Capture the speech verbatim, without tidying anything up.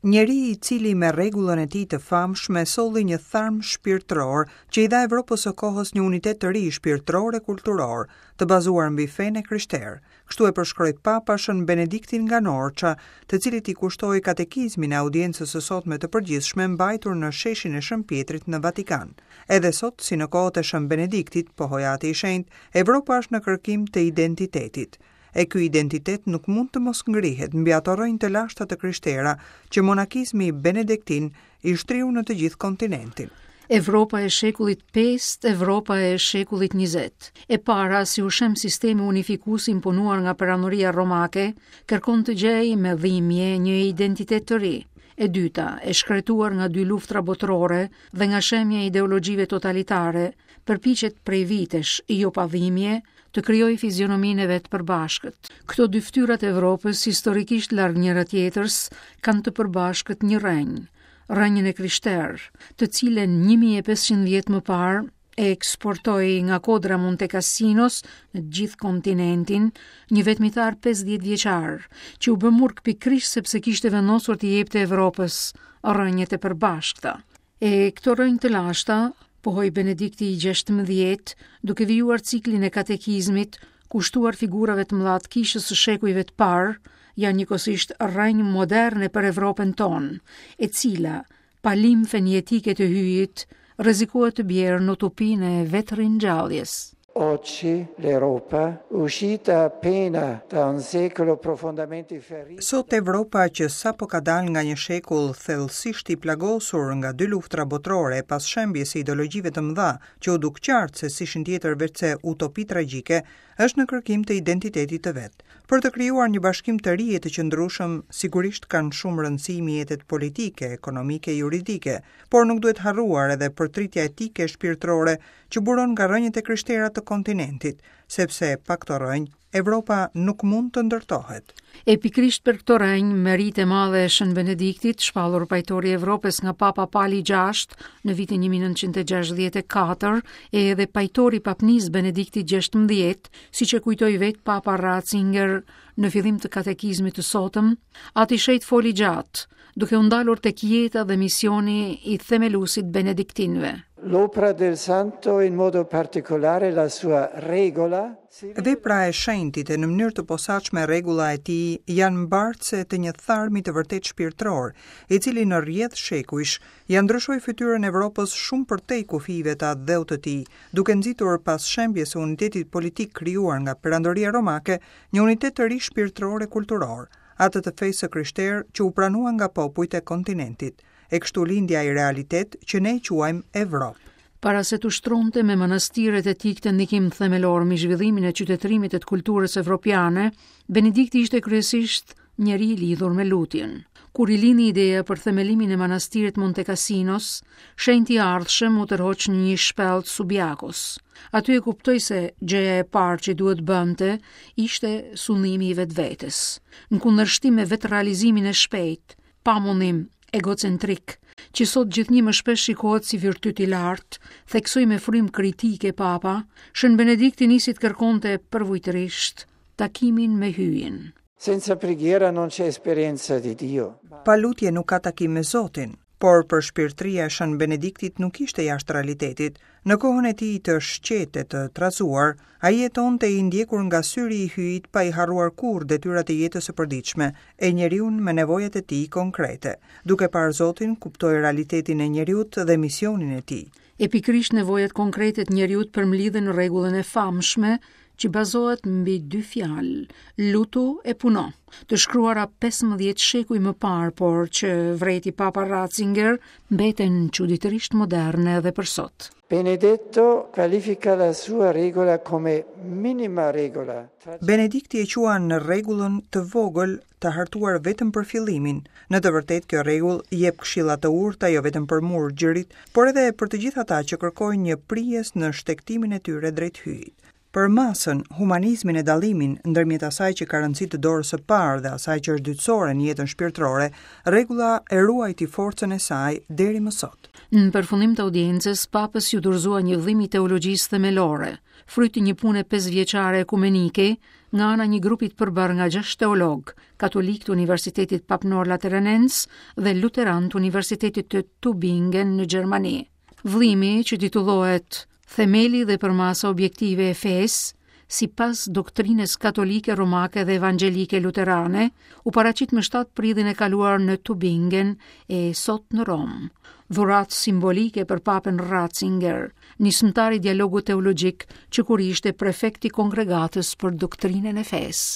Njeri i cili me rregullën e tij të famshme solli një tharm shpirtëror që i dha Evropës së kohës një unitet të ri shpirtëror e kulturor, të bazuar mbi fenë e krishterë. Kështu e përshkroi Papa Shën Benediktin nga Norça, të cilit i kushtoi katekizmin e audiencës së sotme të përgjithshme mbajtur në sheshin e Shën Pietrit në Vatikan. Edhe sot, si në kohët e Shën Benediktit, pohoi Ati i Shenjtë, Evropa është në kërkim të identitetit. E ky identitet nuk mund të mos ngrihet mbi ato rrënjë të lashta të krishtera që monakizmi benediktin i shtriu në të gjithë kontinentin. Evropa e shekullit pestë, Evropa e shekullit njëzet. E para, si u shem sistemi unifikues imponuar nga perandoria romake, kërkon të gjejë me dhimbje një identitet të ri. E dyta, e shkretuar nga dy luftra botërore dhe nga shemja e ideologjive totalitare, përpiqet prej vitesh, jo pa dhimbje, të krijojë fizionominë e vet përbashkët. Këto dy fytyrat e Evropës, historikisht larg njëra tjetrës, kanë të përbashkët një rrënjë, rrënjën e krishterë, të cilën një mijë e pesëqind vjet më parë e eksportoi nga kodra Monte Cassinos në gjithë kontinentin, një vetmitar pesëdhjetë vjeçar, që u bë murg pikërisht sepse kishte vendosur t'i jepte Evropës rrënjët e përbashkëta. E këto rrënjë të lashta, pohoi Benedikti i gjashtëmbëdhjetë, duke vijuar ciklin e katekizmit, kushtuar figurave të mëdha të kishës së shekujve të parë, janë njëkohësisht rrënjë moderne për Evropën tonë, e cila, pa limfen jetike të hyjit, rrezikohet të bjerë në utopinë e vetëringjalljes. Oggi l'Europa, uscita appena da un secolo profondamente ferito. Sot Evropa që sapo ka dalë nga një shekull thellësisht i plagosur nga dy luftra botërore pas shembjes së ideologjive të mëdha, që u duk qartë se s'ishin tjetër veçse utopi tragjike, është në kërkim të identitetit të vet. Për të krijuar një bashkim të ri e të qëndrueshëm, sigurisht kanë shumë rëndësi mjetet politike, ekonomike, juridike, por nuk duhet harruar edhe përtritja etike e shpirtërore që buron nga rrënjët e krishtera të kontinentit, sepse pa këto rrënjë Evropa nuk mund të ndërtohet. E pikërisht për këto rrënjë, meritë e madhe e Shën Benediktit, shpallur pajtori i Evropës nga Papa Pali gjashtë në vitin një mijë e nëntëqind e gjashtëdhjetë e katër, e edhe pajtori i Papnisë Benediktit gjashtëmbëdhjetë, siç e kujtoi vetë Papa Ratzinger në fillim të katekizmit të sotëm, Ati Shenjt foli gjatë, duke u ndalur tek jeta dhe misioni i themeluesit benediktinëve. L'opera del santo, in modo particolare la sua regola, Vepra e shenjtit e në mënyrë të posaçme rregulla e tij janë mbartëse të një tharmi të vërtet shpirtëror, i cili në rrjedh shekujsh ja ndryshoi fytyrën e Evropës shumë përtej kufijve të atdheut të tij, duke nxitur pas shembjes së unitetit politik krijuar nga Perandoria Romake, një unitet të ri shpirtëror e kulturor, atë të fesë së krishterë që u pranua nga popujt e kontinentit. E kështu lindi ai realitet që ne e quajmë Evropë. Para se të ushtronte me manastiret e tij këtë ndikim themelor mbi zhvillimin e qytetërimit e të kulturës evropiane, Benedikti ishte kryesisht njeri i lidhur me lutjen. Kur i lindi ideja për themelimin e manastirit Monte Cassinos, shenjti i ardhshëm u tërhoq në një shpellë të Subiakos. Aty e kuptoi se gjëja e parë që duhet bënte ishte sundimi i vetvetes. Në kundërshtim me vetrealizimin e shpejtë, pa mundim, egocentrik, që sot gjithnjë më shpesh shikohet si virtyt i lartë, theksoi me frymë kritike Papa, Shën Benedikti nisi të kërkonte përvujtërisht takimin me Hyjin. Senza preghiera non c'è esperienza di Dio. Pa lutje nuk ka takim me Zotin, por për shpirtëria e Shën Benediktit nuk ishte jashtë realitetit. Në kohën e tij të shqetë e të trazuar, ai jetonte i ndjekur nga syri i Hyjit pa i harruar kurrë detyrat e jetës së përditshme, e njeriu me nevojat e tij konkrete. Duke parë Zotin, kuptoi realitetin e njeriut dhe misionin e tij. E pikërisht nevojat konkrete të njeriut përmblidhen në rregullën e famshme që bazohet mbi dy fjalë, lutu e puno, të shkruara pesëmbëdhjetë shekuj më parë, por që vreti Papa Ratzinger mbeten çuditërisht moderne edhe për sot. Benedetto qualifica la sua regola come minima regola. Benedikti e quan në rregullën të vogël të hartuar vetëm për fillimin. Në të vërtetë kjo rregull jep këshilla të urta jo vetëm për murgjerit, por edhe për të gjithë ata që kërkojnë një prijës në shtegtimin e tyre drejt Hyjit. Për masën, humanizmin e dallimin ndërmjet asaj që ka rëndësi të dorës së parë dhe asaj që është dytësore në jetën shpirtërore, rregulla e ruajti forcën e saj deri më sot. Në përfundim të audiencës, papës iu dorëzua një vëllim i teologjisë themelore, fryt i një pune pesëvjeçare ekumenike nga ana një grupi të përbërë nga gjashtë teologë, katolikë të Universitetit Papnor Lateranens dhe luteran të Universitetit të Tübingen në Gjermani. Vëllimi, që titullohet Themeli dhe përmasa objektive e fesë, sipas doktrinës katolike romake dhe evangjelike luterane, u paraqit më shtatë prillin e kaluar në Tübingen e sot në Romë. Dhuratë simbolike për papën Ratzinger, nismëtar i dialogut teologjik që kur ishte prefekt i kongregatës për doktrinën e fesë.